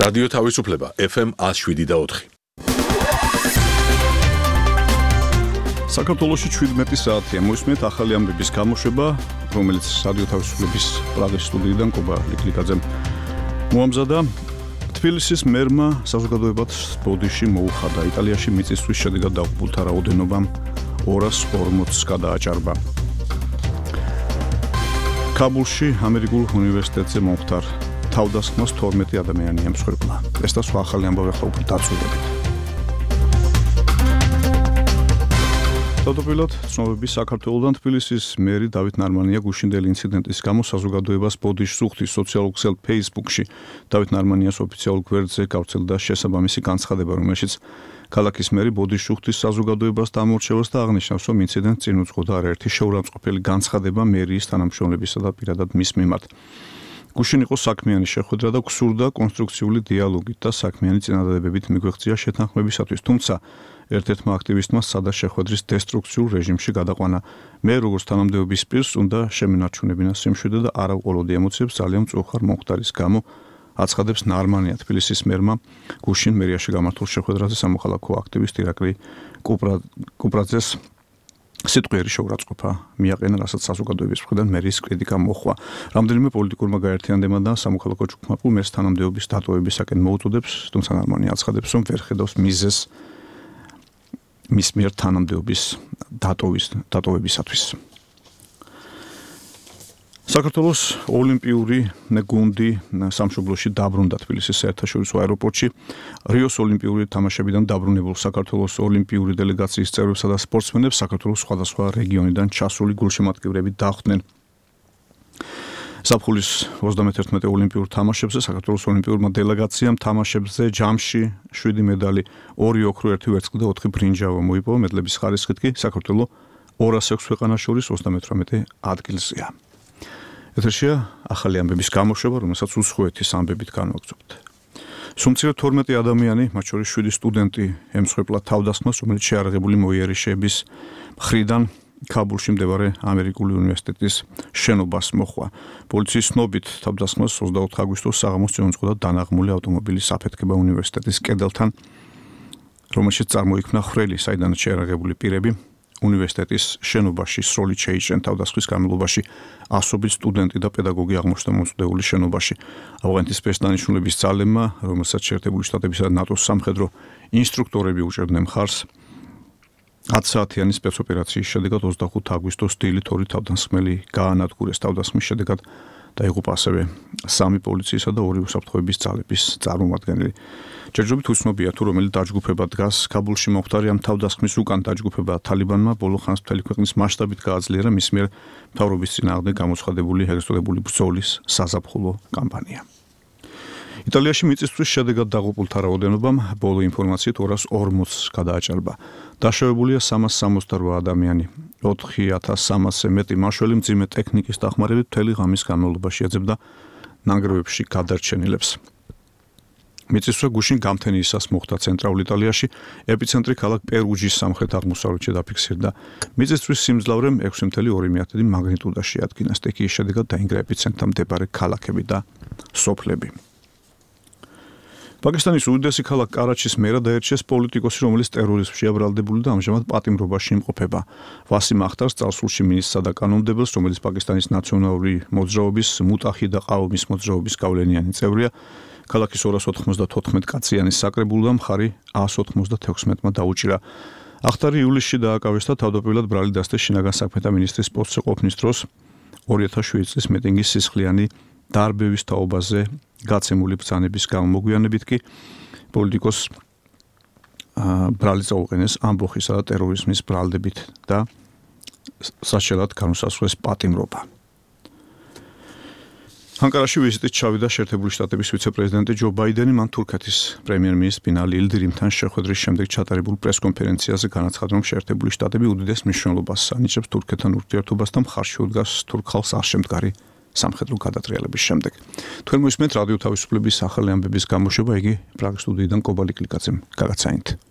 რადიო თავისუფლება FM 107.4. საქართველოში 17 საათია მოისმენთ ახალი ამბების გამოშვება, რომელიც რადიო თავისუფლების პრაღის სტუდიიდან კობა ლიკლიკაძემ მოამზადა. თბილისის მერმა საზოგადოებად ბოდიში მოუხადა. იტალიაში მიწისძვრის შედეგად დაღუპულთა რაოდენობა 240-ს გადააჭარბა. კაბულში ამერიკულ უნივერსიტეტზე მომხდარ თავდასხმას 12 ადამიანი ემსხვერპლა. ეს და სხვა ახალი ამბავი ახლა უფრო დაწვრილებით. თავდაპირველად ცნობები საქართველოდან თბილისის მერი დავით ნარმანია გუშინდელი ინციდენტის გამო საზოგადოებას ბოდიშს უხდის სოციალურ ქსელ Facebook-ში. დავით ნარმანიას ოფიციალურ გვერდზე გავრცელდა შესაბამისი განცხადება, რომელშიც ქალაქის მერი ბოდიშს უხდის საზოგადოებას დამორჩევას და აღნიშნავს, რომ ინციდენტს წინ უძღოდა არაერთი შეურამწყყოფელი განცხადება მერიის თანამშრომლებისა და პირადად მის მიმართ. გუშინ იყო საქმიანი შეხვედრა და გსურდა კონსტრუქციული დიალოგით და საქმიანი წინადადებებით მიგვეღწია შეთანხმებისათვის, თუმცა ერთ-ერთმა აქტივისტმა სცადა შეხვედრის დესტრუქციულ რეჟიმში გადაყვანა. მე როგორც თანამდებობის პირს უნდა შემენარჩუნებინა სიმშვიდე და არა ვყოლოდი ემოციებს ძალიან მწუხარ მომხდარის გამო, აცხადებს ნარმანია თბილისის მერმა გუშინ მერიაში გამართულ შეხვედრაზე სამოქალაქო აქტივისტ ირაკლი კუპრაძეს სიტყვიერი შეურაცხყოფა მიაყენა, რასაც საზოგადოების მხრიდან მერის კრიტიკა მოჰყვა. რამდენიმე პოლიტიკურმა გაერთიანდებმა და სამოქალაქო ჯგუფმა მერს თანამდებობის დატოვებისაკენ მოუწოდებს, თუმცა ნარმანია აცხადებს, რომ ვერ ხედავს მიზეზს მის მიერ თანამდებობის დატოვებისათვის. საქართველოს ოლიმპიური გუნდი სამშობლოში დაბრუნდა თბილისის საერთაშორისო აეროპორტში. რიოს ოლიმპიური თამაშებიდან დაბრუნებულ საქართველოს ოლიმპიური დელეგაციის წევრებსა და სპორტსმენებს საქართველოს სხვადასხვა რეგიონიდან ჩასული გულშემატკივრები დახვდნენ. ზაფხულის 31 ოლიმპიურ თამაშებზე საქართველოს ოლიმპიურმა დელეგაციამ თამაშებზე ჯამში 7 მედალი, 2 ოქრო, 1 ვერცხლი და 4 ბრინჯაო მოიპოვა. მედლების ხარისხით კი საქართველო 206 ქვეყანას შორის 38 ადგილზეა. ეთერშია ახალი ამბების გამოშვება, რომელსაც უსხოეთის ამბებით განვაგრძობთ. სუმცირე 12 ადამიანი, მათ შორის 7 სტუდენტი ემსხვერპლა თავდასხმას, რომელიც შეარაღებული მოიერიშეების მხრიდან კაბულში მდებარე ამერიკული უნივერსიტეტის შენობას მოჰყვა. პოლიციის ცნობით თავდასხმას 24 აგვისტოს საღამოს წინ უძღოდა დანაღმული ავტომობილის აფეთქება უნივერსიტეტის კედელთან, რომელშიც წარმოიქმნა ხვრელი, საიდანაც შეარაღებული პირები უნივერსიტეტის შენობაში სროლით შეიჭრნენ. თავდასხმის განმავლობაში ასობით სტუდენტი და პედაგოგი აღმოჩნდა მომწყვდეული შენობაში. ავღანეთის სპეცდანიშნულების ძალებმა, რომელსაც შეერთებული შტატებისა და ნატოს სამხედრო ინსტრუქტორები უჭერდნენ მხარს, 10 საათიანი სპეცოპერაციის შედეგად 25 აგვისტოს დილით 2 თავდასხმელი გაანადგურეს. თავდასხმის შედეგად დაიღუპა ასევე 3 პოლიციისა და 2 უსაფრთხოების ძალების წარმომადგენელი. ჯერჯერობით უცნობია თუ რომელი დაჯგუფება დგას კაბულში მომხდარი ამ თავდასხმის უკან. დაჯგუფება თალიბანმა ბოლო ხანს მთელი ქვეყნის მასშტაბით გააძლიერა მის მიერ მთავრობის წინააღმდეგ გამოცხადებული ეგრეთ წოდებული ბრძოლის საზაფხულო კამპანია. იტალიაში მიწისძვრის შედეგად დაღუპულთა რაოდენობამ ბოლო ინფორმაციით 240-ს გადააჭარბა. დაშავებულია 368 ადამიანი. 4300-ზე მეტი მაშველი მძიმე ტექნიკის დახმარებით მთელი ღამის განმავლობაში ეძებდა ნანგრევებში გადარჩენილებს. მიწისძვრა გუშინ გამთენიისას მოხდა ცენტრალურ იტალიაში, ეპიცენტრი ქალაქ პერუჯის სამხრეთ-აღმოსავლეთში დაფიქსირდა. მიწისძვრის სიმძლავრემ 6.2 მაგნიტუდაში ადგინა. სტიქიის შედეგად დაინგრა ეპიცენტრთან მდებარე ქალაქები და სოფლები. პაკისტანის უდიდესი ქალაქ კარაჩის მერად აერჩიეს პოლიტიკოსი, რომელიც ტერორიზმშია ბრალდებული და ამჟამად პატიმრობაში იმყოფება. ვასიმ ახტარს წარსულში მინისტრსა და კანონმდებელს, რომელიც პაკისტანის ნაციონალური მოძრაობის მუტაჰიდა ყავმის მოძრაობის გავლენიანი წევრია, ქალაქის 294 კაციანი საკრებულო მხარი 196-მა დაუჭირა. ახტარი ივლისში დააკავეს და თავდაპირველად ბრალი დასდეს შინაგან საქმეთა მინისტრის პოსტზე ყოფნის დროს 2007 წლის მიტინგის სისხლიანი დარბევის თაობაზე გაცემული ბრძანების გამო. მოგვიანებით კი პოლიტიკოს ბრალი წაუყენეს ამბოხისა და ტერორიზმის ბრალდებით და საშელად განუსაზღვრეს პატიმრობა. ანკარაში ვიზიტით ჩავიდა შეერთებული შტატების ვიცე-პრეზიდენტი ჯო ბაიდენი. მან თურქეთის პრემიერ-მინისტრ ბინალი ილდირიმთან შეხვედრის შემდეგ ჩატარებულ პრესკონფერენციაზე განაცხადა, რომ შეერთებული შტატები უდიდეს მნიშვნელობას ანიჭებს თურქეთთან ურთიერთობას და მხარში უდგას თურქ ხალხს არ შემდგარი სამხედრო გადატრიალების შემდეგ. თქვენ მოისმენთ რადიო თავისუფლების ახალი ამბების გამოშვება, იგი პრაღის სტუდიიდან კობა ლიკლიკაძემ გაგაცაინთ.